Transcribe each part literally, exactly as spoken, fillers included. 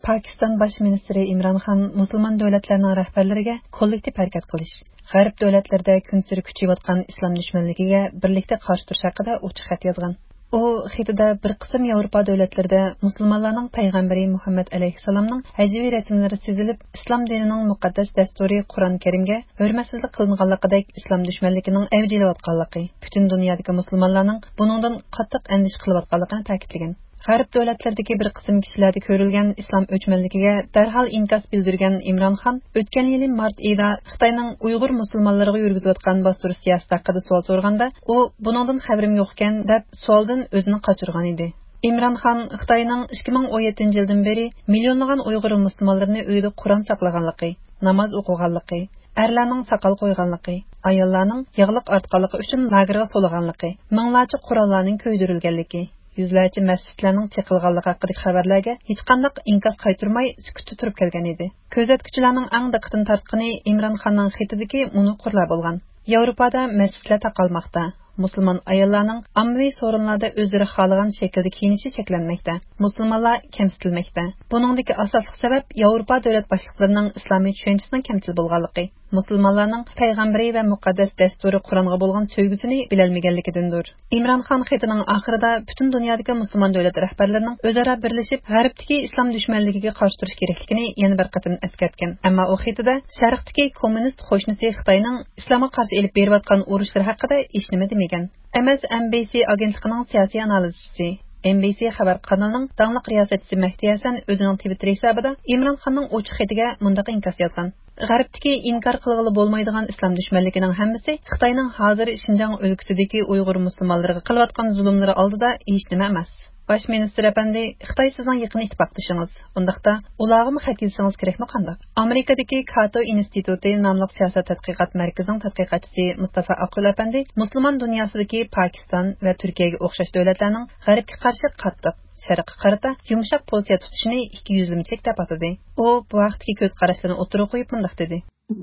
پاكىستان باش مىنىستىرى ئىمران خان مۇسۇلمان دۆلەتلەرنىڭ رەھبەرلىرىگە كوللېكتىپ ھەرىكەت قىلىش، غەرب دۆلەتلىرىدە كۈنسېرى كۈچىيىۋاتقان ئىسلام دۈشمەنلىكىگە بىرلىكتە قارشى تۇرۇش ھەققىدە ئوچۇق خەت يازغان. ئۇ خېتىدە بىر قىسىم ياۋروپا دۆلەتلىرىدە مۇسۇلمانلارنىڭ پەيغەمبىرى مۇھەممەد ئەلەيھىسسالامنىڭ ھەجۋىي رەسىملىرى سىزىلىپ، ئىسلام دىنىنىڭ مۇقەددەس دەستۇرى قۇرئان كەرىمگە ھۆرمەتسىزلىك قىلىنغانلىقىدەك ئىسلام دۈشمەنلىكىنىڭ ئەۋج ئېلىۋاتقانلىقى، پۈتۈن دۇنيادىكى مۇسۇلمانلارنىڭ بۇنىڭدىن قاتتىق ئەندىشە قىلىۋاتقانلىقىنى تەكىتلىگەن. غەرب دۆلەتلىرىدىكى بىر قىسىم كىشىلەردە كۆرۈلگەن ئىسلام ئۆچمەنلىكىگە دەرھال ئىنكاس بىلدۈرگەن ئىمران خان ئۆتكەن يىلى مارت ئېيىدا خىتاينىڭ ئۇيغۇر مۇسۇلمانلىرىغا يۈرگۈزۈۋاتقان باستۇرۇش سىياسىتى ھەققىدە سوئال سورىغاندا، ئۇ بۇنىڭدىن خەۋىرىم يوقكەن دەپ سوئالدىن ئۆزىنى قاچۇرغان ئىدى. ئىمران خان خىتاينىڭ ئىككى مىڭ ئون يەتتىنچى يىلدىن بېرى مىليونلىغان ئۇيغۇر مۇسۇلمانلىرىنى ئۆيىدە قۇرئان ساقلىغانلىقى، ناماز ئوقۇغانلىقى، ئەرلەرنىڭ ساقال قويغانلىقى، ئاياللارنىڭ ياغلىق ئارتقانلىقى ئۈچۈن لاگېرغا سولىغانلىقى، مىڭلارچە قوراللارنىڭ كۆيدۈرۈلگەنلىكى، يۈزلەرچە مەسچىتلەرنىڭ چېقىلغانلىقى ھەققىدىكى خەۋەرلەرگە ھېچقانداق ئىنكاس قايتۇرماي سۈكۈتتە تۇرۇپ كەلگەن ئىدى. كۆزەتكۈچىلەرنىڭ ئەڭ دىققىتىنى تارتقىنى ئىمران خاننىڭ خېتىدىكى مۇنۇ قۇرلار بولغان: ياۋروپادا مەسچىتلەر تاقالماقتا، مۇسۇلمان ئاياللارنىڭ ئاممىۋى سورۇنلاردا ئۆزلىرى خالىغان شەكىلدە كىيىنىشى چەكلەنمەكتە، مۇسۇلمانلار كەمسىتىلمەكتە. بۇنىڭدىكى ئاساسلىق سەۋەب ياۋروپا دۆلەت باشلىقلىرىنىڭ ئىسلامىي چۈشەنچىسىنىڭ كەمچىل بولغانلىقى، مۇسۇلمانلارنىڭ پەيغەمبىرى ۋە مۇقەددەس دەستۇرى قۇرئانغا بولغان سۆيگۈسىنى بىلەلمىگەنلىكىدىندۇر. ئىمران خان خېتىنىڭ ئاخىرىدا پۈتۈن دۇنيادىكى مۇسۇلمان دۆلەت رەھبەرلىرىنىڭ ئۆزئارا بىرلىشىپ، غەربتىكى ئىسلام دۈشمەنلىكىگە قارشى تۇرۇش كېرەكلىكىنى يەنە بىر قېتىم ئەسكەرتكەن. ئەمما ئۇ خېتىدە شەرقتىكى كوممۇنىست قوشنىسى خىتاينىڭ ئىسلامغا قارشى ئېلىپ بېرىۋاتقان ئۇرۇشلىرى ھەققىدە ھېچنېمە دېمىگەن. ئېم ئېس ئېن بى سى ئاگېنتلىقىنىڭ سىياسىي ئانالىزچىسى، ئېن بى سى خەۋەر قانىلىنىڭ داڭلىق رىياسەتچىسى مەھدى ھەسەن ئۆزىنىڭ تىۋىتتېر ھېسابىدا ئىمران خاننىڭ ئوچۇق خېتىگە مۇنداق ئىنكاس يازغان: غەربتىكى ئىنكار قىلغىلى بولمايدىغان ئىسلام دۈشمەنلىكىنىڭ ھەممىسى خىتاينىڭ ھازىر شىنجاڭ ئۆلكىسىدىكى ئۇيغۇر مۇسۇلمانلىرىغا قىلىۋاتقان زۇلۇملىرى ئالدىدا ھېچنېمە ئەمەس. باش مىنىستىر ئەپەندى، خىتاي سىزنىڭ يېقىن ئىتتىپاقدىشىڭىز. ئۇنداقتا ئۇلارغىمۇ خەت يېزىشىڭىز كېرەكمۇ قانداق؟ ئامېرىكىدىكى كاتو ئىنستىتۇتى ناملىق سىياسەت تەتقىقات مەركىزىنىڭ تەتقىقاتچىسى مۇستافا ئاقىل ئەپەندى مۇسۇلمان دۇنياسىدىكى پاكىستان ۋە تۈركىيەگە ئوخشاش دۆلەتلەرنىڭ غەربكە قارشى قاتتىق، شەرققە قارىتا يۇمشاق پوزىتسىيە تۇتۇشىنى ئىككى يۈزلىمىچىلىك دەپ ئاتىدى. ئۇ بۇ ھەقتىكى كۆز قاراشلىرىنى ئوتتۇرىغا قويۇپ مۇنداق دېدى.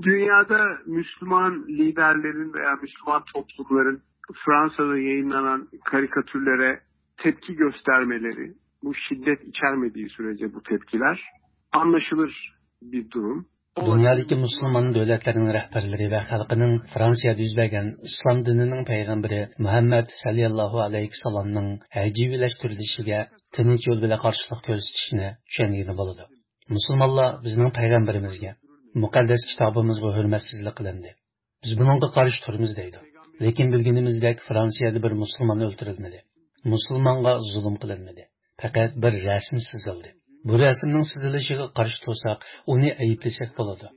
Dünyada Müslüman liderlerin veya Müslüman toplumların Fransa'da yayınlanan karikatürlere tepki göstermeleri, bu şiddet içermediği sürece bu tepkiler anlaşılır bir durum. دۇنيادىكى مۇسۇلمان دۆلەتلەرنىڭ رەھبەرلىرى ۋە خەلقىنىڭ فرانسىيەدە يۈز بەرگەن ئىسلام دىنىنىڭ پەيغەمبىرى مۇھەممەد سەللەللاھۇ ئەلەيھىسسالامنىڭ ھەجۋىيلەشتۈرۈلۈشىگە تىنچ يول بىلەن قارشىلىق كۆرسىتىشىنى چۈشەنگىلى بولىدۇ. مۇسۇلمانلار بىزنىڭ پەيغەمبىرىمىزگە، مۇقەددەس كىتابىمىزغا ھۆرمەتسىزلىك قىلىندى. بىز بۇنىڭغا قارشى تۇرىمىز دەيدۇ. لېكىن بىلگىنىمىزدەك فرانسىيەدە بىر مۇسۇلمان ئۆلتۈرۈلمىدى. مۇسۇلمانغا زۇلۇم قىلىنمىدى. پەقەت بىر رەسىم سىزىلدى. بۇ رەسىمنىڭ سىزىلىشىغا قارشى تۇرساق، ئۇنى ئەيىبلىسەك بولىدۇ.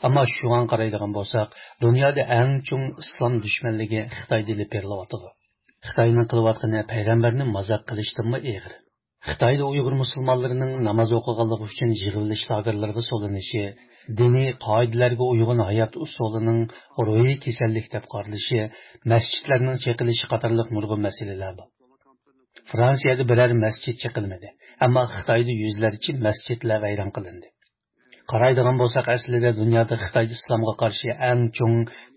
ئەمما شۇڭا قارايدىغان بولساق، دۇنيادا ئەڭ چوڭ ئىسلام دۈشمەنلىكى خىتايدا ئېلىپ بېرىلىۋاتىدۇ. خىتاينىڭ قىلىۋاتقىنى پەيغەمبەرنى مازاق قىلىشتىنمۇ ئېغىر. خىتايدا ئۇيغۇر مۇسۇلمانلىرىنىڭ ناماز ئوقۇغانلىقى ئۈچۈن يىغىۋېلىش لاگېرلىرىغا سولىنىشى، دىنىي قائىدىلەرگە ئۇيغۇن ھايات ئۇسۇلىنىڭ روھىي كېسەللىك دەپ قارىلىشى، مەسچىتلەرنىڭ چېقىلىشى قاتارلىق نۇرغۇن مەسىلىلەر بار. فرانسىيەدە بىرەر مەسچىت چېقىلمىدى، ئەمما خىتايدا يۈزلەرچە مەسچىتلەر ۋەيران قىلىندى. قارايدىغان بولساق، ئەسلىدە دۇنيادا خىتاي ئىسلامغا قارشى ئەڭ چوڭ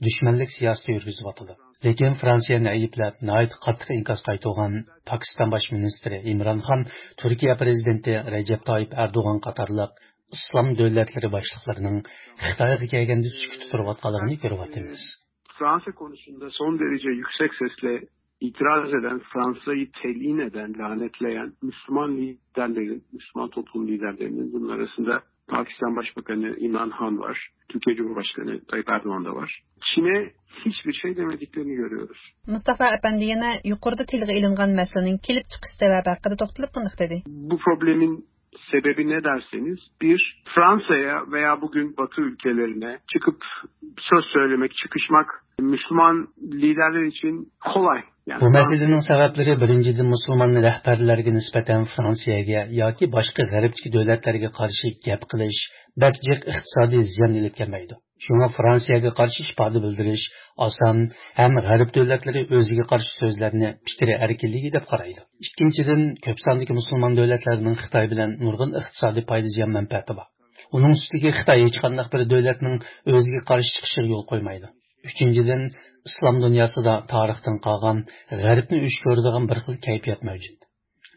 دۈشمەنلىك سىياسىتى يۈرگۈزۈۋاتىدۇ. لېكىن فرانسىيەنى ئەيىبلەپ، ناھايىتى قاتتىق ئىنكاس قايتۇرغان پاكىستان باش مىنىستىرى ئىمران خان، تۈركىيە پىرېزىدېنتى رەجەپ تايىپ ئەردوغان قاتارلىق ئىسلام دۆلەتلىرى باشلىقلىرىنىڭ خىتايغا كەلگەندە سۈكۈتتە تۇرۇۋاتقانلىقىنى كۆرۈۋاتىمىز. Fransa konusunda son derece yüksek sesle itiraz eden, Fransa'yı telin eden, lanetleyen Müslüman liderlerin, Müslüman toplum liderlerinin, bunun arasında Pakistan Başbakanı İmran Han var, Türkiye Cumhurbaşkanı Tayyip Erdoğan da var. Çin'e hiçbir şey demediklerini görüyoruz. مۇستافا ئەپەندى يەنە يۇقىرىدا تىلغا ئېلىنغان مەسىلىنىڭ كېلىپ چىقىش سەۋەبى ھەققىدە توختىلىپ مۇنداق دېدى. Bu problemin sebebi ne derseniz, bir, Fransa'ya veya bugün Batı ülkelerine çıkıp söz söylemek, çıkışmak Müslüman liderler için kolay. Yani بۇ مەسىلىنىڭ سەۋەبلىرى، بىرىنچىدىن، مۇسۇلمان رەھبەرلەرگە نىسبەتەن فرانسىيەگە ياكى باشقا غەربتىكى دۆلەتلەرگە قارشى گەپ قىلىش بەك جىق ئىقتىسادىي زىيان ئېلىپ كەلمەيدۇ. شۇڭا فرانسىيەگە قارشى ئىپادە بىلدۈرۈش ئاسان ھەم غەرب دۆلەتلىرى ئۆزىگە قارشى سۆزلەرنى پىكرى ئەركىنلىكى دەپ قارايدۇ. ئىككىنچىدىن، كۆپ ساندىكى مۇسۇلمان دۆلەتلەرنىڭ خىتاي بىلەن نۇرغۇن ئىقتىسادىي پايدا زىيان مەنپەئەتى بار. ئۇنىڭ ئۈستىگە خىتاي ھېچقانداق بىر دۆلەتنىڭ ئۆزىگە قارشى چىقىشىغا يول قويمايدۇ. ئۈچىنچىدىن، ئىسلام دۇنياسىدا تارىختىن قالغان غەربنى ئۆچ كۆرىدىغان بىر خىل كەيپىيات مەۋجۇت.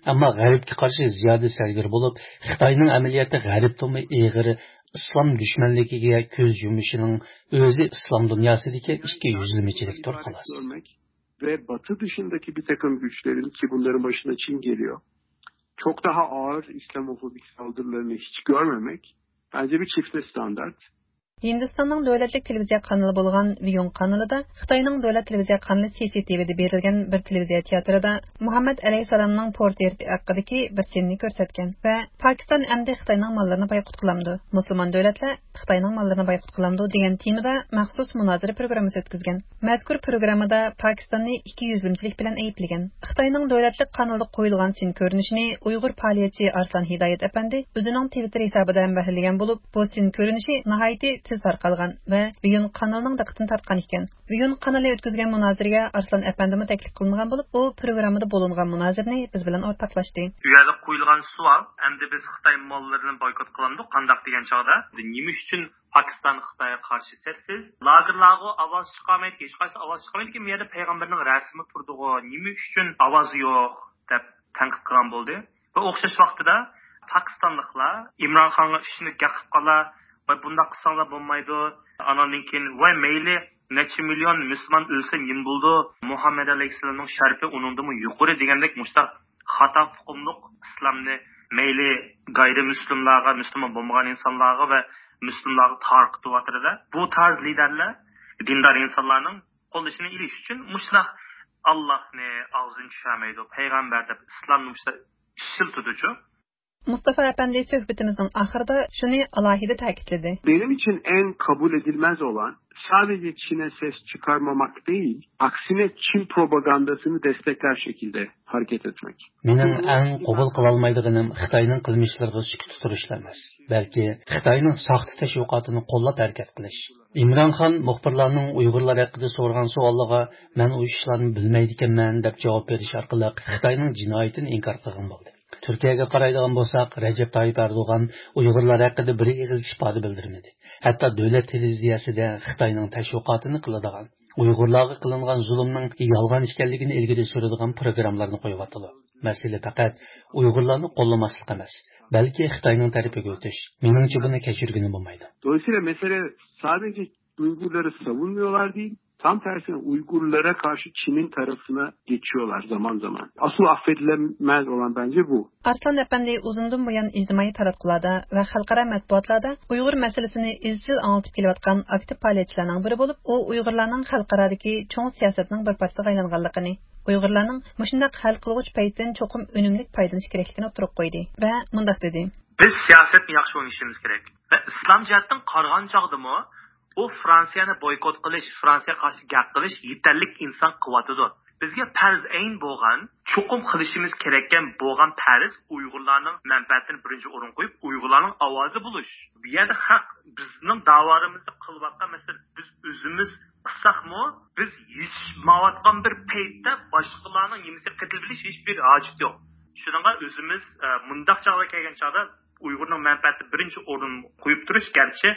ئەمما غەربكە قارشى زىيادە سەرگەر بولۇپ، خىتاينىڭ ئەمەلىيەتتە غەربتىنمۇ ئېغىر ئىسلام دۈشمەنلىكىگە كۆز يۇمۇشىنىڭ ئۆزى ئىسلام دۇنياسىدىكى ئىككى يۈزلىمىچىلىكتۇر، خالاس. Ve Batı dışındaki bir takım güçlerin, ki bunların başında Çin geliyor, çok daha ağır İslamofobik saldırılarını hiç görmemek bence bir çifte standart. ھىندىستاننىڭ دۆلەتلىك تېلېۋىزىيە قانىلى بولغان ۋىيۇڭ قانىلىدا خىتاينىڭ دۆلەت تېلېۋىزىيە قانىلى سى سى تى ۋىدا بېرىلگەن بىر تېلېۋىزىيە تىياتىرىدا مۇھەممەد ئەلەيھىسسالامنىڭ پورترېتى ھەققىدىكى بىر سېننى كۆرسەتكەن ۋە پاكىستان ئەمدى خىتاينىڭ ماللىرىنى بايقۇت قىلامدۇ، مۇسۇلمان دۆلەتلەر خىتاينىڭ ماللىرىنى بايقۇت قىلامدۇ دېگەن تېمىدا مەخسۇس مۇنازىرە پروگراممىسى ئۆتكۈزگەن. مەزكۇر پروگراممىدا پاكىستاننى ئىككى يۈزلىمىچىلىك بىلەن ئەيىبلىگەن. خىتاينىڭ دۆلەتلىك قانىلىدا قويۇلغان سىن كۆرۈنۈشىنى ئۇيغۇر پائالىيەتچى ئارسلان ھىدايەت ئەپەندى ئۆزىنىڭ تىۋىتتېر ھېسابىدا ھەمبەھىرلىگەن بولۇپ، بۇ سىن كۆرۈنۈشى ناھايىتى تېز تارقالغان ۋە ۋىيۇن قانىلىنىڭ دىققىتىنى تارتقان ئىكەن. ۋىيۇن قانىلى ئۆتكۈزگەن مۇنازىرىگە ئارسلان ئەپەندىمۇ تەكلىپ قىلىنغان بولۇپ، ئۇ پروگراممىدا بولۇنغان مۇنازىرىنى بىز بىلەن ئورتاقلاشتى. ئۇ يەردە قويۇلغان سوئال، ئەمدى بىز خىتاي ماللىرىنى بايكوت قىلامدۇق، قانداق دېگەن چاغدا، نېمە ئۈچۈن پاكىستان خىتايغا قارشى سەپسىز؟ لاگېرلارغا ئاۋاز چىقارمايدىكەن، ھېچقايسى ئاۋاز چىقارمايدىكەن، بۇ يەردە پەيغەمبەرنىڭ رەسىمى تۇرىدىغۇ، نېمە ئۈچۈن ئاۋازى يوق دەپ تەنقىد قىلغان بولدى. ۋە ئوخشاش ۋاقتىدا پاكىستانلىقلار ئىمران خانغا ئىشىنىپ گەپ قىلىپ قالار، ۋاي بۇنداق قىلساڭلار بولمايدۇ، ئاناندىن كېيىن ۋاي مەيلى نەچچە مىليون مۇسۇلمان ئۆلسە نېمە بولىدۇ، مۇھەممەد ئەلەيھىسسالامنىڭ شەرىپى ئۇنىڭدىنمۇ يۇقىرى دېگەندەك مۇشۇنداق خاتا ئۇقۇملۇق ئىسلامنى مەيلى غەيرىي مۇسلىملارغا، مۇسۇلمان بولمىغان ئىنسانلارغا ۋە مۇسلىملارغا تارقىتىۋاتىدۇ. بۇ تارز لىدەرلەر دىندار ئىنسانلارنىڭ قوللىشىنى ئېلىش ئۈچۈن مۇشۇنداق ئاللاھنى ئاغزىدىن چۈشۈرمەيدۇ، پەيغەمبەر دەپ ئىسلامنى مۇشۇنداق ئىشلىتىدۇچۇ. مۇستافا ئەپەندى سۆھبىتىمىزنىڭ ئاخىرىدا شۇنى ئالاھىدە تەكىتلىدى. Benim için en kabul edilmez olan sadece Çin'e ses çıkarmamak değil, aksine Çin propagandasını destekler şekilde hareket etmek. مېنىڭ ئەڭ قوبۇل قىلالمايدىغىنىم خىتاينىڭ قىلمىشلىرىغا سۈكۈت تۇرۇشلا ئەمەس، بەلكى خىتاينىڭ ساختا تەشۋىقاتىنى قوللاپ ھەرىكەت قىلىش. ئىمران خان مۇخبىرلارنىڭ ئۇيغۇرلار ھەققىدە سورىغان سوئاللىرىغا، مەن ئۇ ئىشلارنى بىلمەيدىكەنمەن دەپ جاۋاب بېرىش ئارقىلىق خىتاينىڭ جىنايىتىنى ئىنكار قىلغان بولدى. تۈركىيەگە قارايدىغان بولساق، رەجەپ تايىپ ئەردوغان ئۇيغۇرلار ھەققىدە بىر ئېغىز ئىپادە بىلدۈرمىدى. ھەتتا دۆلەت تېلېۋىزىيەسىدە خىتاينىڭ تەشۋىقاتىنى قىلىدىغان، ئۇيغۇرلارغا قىلىنغان زۇلۇمنىڭ يالغان ئىكەنلىكىنى ئىلگىرى سۈرىدىغان پروگراممىلارنى قويۇۋاتىدۇ. مەسىلە پەقەت ئۇيغۇرلارنى قوللىماسلىق ئەمەس، بەلكى خىتاينىڭ تەرىپىگە ئۆتۈش. مېنىڭچە بۇنى كەچۈرگىلى بولمايدۇ. Dolayısıyla mesele sadece Uygurları savunmuyorlar değil, tam tersine Uygurlara karşı Çin'in tarafına geçiyorlar zaman zaman. Asıl affedilemez olan bence bu. ئارسلان ئەپەندى ئۇزۇندىن بۇيان ئىجتىمائىي تاراتقۇلاردا ۋە خەلقئارا مەتبۇئاتلاردا ئۇيغۇر مەسىلىسىنى ئىزچىل ئاڭلىتىپ كېلىۋاتقان ئاكتىپ پائالىيەتچىلەرنىڭ بىرى بولۇپ، ئۇ ئۇيغۇرلارنىڭ خەلقئارادىكى چوڭ سىياسەتنىڭ بىر پارچىسىغا ئايلانغانلىقىنى، ئۇيغۇرلارنىڭ مۇشۇنداق ھەل قىلغۇچ پەيتتىن چوقۇم ئۈنۈملۈك پايدىلىنىش كېرەكلىكىنى ئوتتۇرىغا قويدى ۋە مۇنداق دېدى. بىز سىياسەتنى ياخشى ئوينىشىمىز كېرەك. ۋە ئىسلام جەھەتتىن قارىغان چاغدىمۇ، بۇ فرانسىيەنى بويكوت قىلىش، فرانسىيەگە قارشى گەپ قىلىش يېتەرلىك ئىنسان قىلىۋاتىدۇ. بىزگە پەرز ئەين بولغان، چوقۇم قىلىشىمىز كېرەككەن بولغان پەرز ئۇيغۇرلارنىڭ مەنپەئەتىنى بىرىنچى ئورۇنغا قويۇپ، ئۇيغۇرلارنىڭ ئاۋازى بولۇش. بۇ يەردە خەق بىزنىڭ داۋالىرىمىزنى قىلىۋاتقان مەسىلە، بىز ئۆزىمىز قىلساقمۇ، بىز يېتىشمەيۋاتقان بىر پەيتتە باشقىلارنىڭ نېمىسىگە قېتىلىپ بېرىش ھېچبىر ھاجىتى يوق. شۇنىڭغا ئۆزىمىز، ئە، مۇنداق چاغلار كەلگەن چاغدا ئۇيغۇرنىڭ مەنپەئەتىنى بىرىنچى ئورۇن قويۇپ تۇرۇش، گەرچە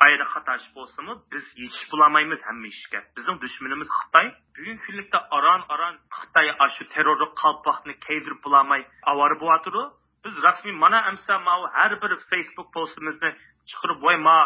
ئايدا خاتا ئىش بولسىمۇ، بىز يېتىشىپ بولالمايمىز ھەممە ئىشكە. بىزنىڭ دۈشمىنىمىز خىتاي. بۈگۈنكى كۈنلۈكتە ئاران-ئاران خىتاي ئاشۇ تېررورلۇق قالپاقنى كىيدۈرۈپ بولالماي ئاۋارە بولۇۋاتىدۇ. بىز رەسمىي مانا ئەمسە ماۋۇ ھەر بىر فېيسبۇك پوستىمىزنى چىقىرىپ، ۋاي ما،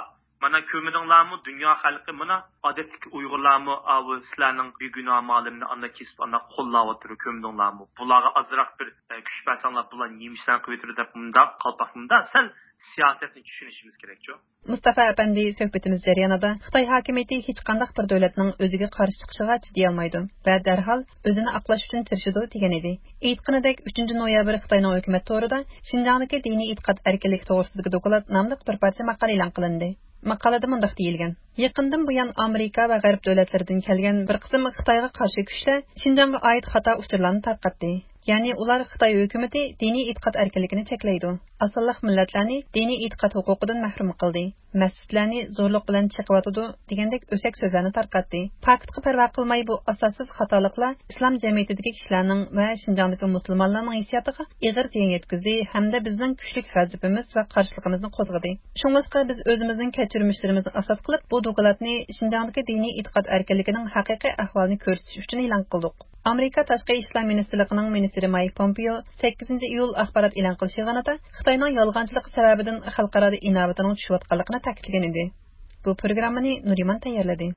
مانا كۆرمىدىڭلارمۇ، دۇنيا خەلقى، مانا ئادەتتىكى ئۇيغۇرلارمۇ ئاۋۇ سىلەرنىڭ بىگۇناھ مالىمنى ئانداق كېسىپ ئانداق قوللاۋاتىدۇ، كۆرمىدىڭلارمۇ؟ بۇلارغا ئازراق بىر، ئە، كۈچ بەرسەڭلار، بۇلار نېمە ئىشلارنى قىلىۋېتىدۇ دەپ مۇنداق قالپاق مۇنداق سەل سىياسەتنى چۈشىنىشىمىز كېرەكچۇ. مۇستافا ئەپەندى سۆھبىتىمىز جەريانىدا خىتاي ھاكىمىيىتى ھېچقانداق بىر دۆلەتنىڭ ئۆزىگە قارشى چىقىشىغا چىدىيالمايدۇ ۋە دەرھال ئۆزىنى ئاقلاش ئۈچۈن تىرىشىدۇ دېگەن ئىدى. ئېيتقىنىدەك، ئۈچىنچى نويابىر خىتاينىڭ ھۆكۈمەت تورىدا شىنجاڭدىكى دىنىي ئېتىقاد ئەركىنلىكى توغرىسىدىكى دوكلات ناملىق بىر پارچە ماقالە ئېلان قىلىندى. ماقالىدە مۇنداق دېيىلگەن: يېقىندىن بۇيان ئامېرىكا ۋە غەرب دۆلەتلىرىدىن كەلگەن بىر قىسىم خىتايغا قارشى كۈچلەر شىنجاڭغا ئائىت خاتا ئۇچۇرلارنى تارقاتتى. يەنى ئۇلار خىتاي ھۆكۈمىتى دىنىي ئېتىقاد ئەركىنلىكىنى چەكلەيدۇ، ئاز سانلىق مىللەتلەرنى دىنىي ئېتىقاد ھوقۇقىدىن مەھرۇم قىلدى، مەسچىتلەرنى زورلۇق بىلەن چېقىۋاتىدۇ دېگەندەك ئۆسەك سۆزلەرنى تارقاتتى. پاكىتقا پەرۋا قىلماي، بۇ ئاساسسىز خاتالىقلار ئىسلام جەمئىيىتىدىكى كىشىلەرنىڭ ۋە شىنجاڭدىكى مۇسۇلمانلارنىڭ ھېسسىياتىغا ئېغىر زىيان يەتكۈزدى ھەمدە بىزنىڭ كۈچلۈك غەزىپىمىز ۋە قارشىلىقىمىزنى قوزغىدى. شۇڭلاشقا بىز ئۆزىمىزنىڭ كەچۈرمىشلىرىمىزنى ئاساس قىلىپ، بۇ دوكلاتنى شىنجاڭدىكى دىنىي ئېتىقاد ئەركىنلىكىنىڭ ھەقىقىي ئەھۋالىنى كۆرسىتىش ئۈچۈن ئېلان قىلدۇق. ئامېرىكا تاشقى ئىشلار مىنىستىرلىقىنىڭ مىنىستىرى مايك پومپېيو سەككىزىنچى ئىيۇل ئاخبارات ئېلان قىلىشىغا قارىتا خىتاينىڭ يالغانچىلىقى سەۋەبىدىن خەلقئارادا ئىناۋىتىنىڭ چۈشۈۋاتقانلىقىنى تەكىتلىگەن ئىدى. بۇ پروگراممىنى نۇرىمان تەييارلىدى.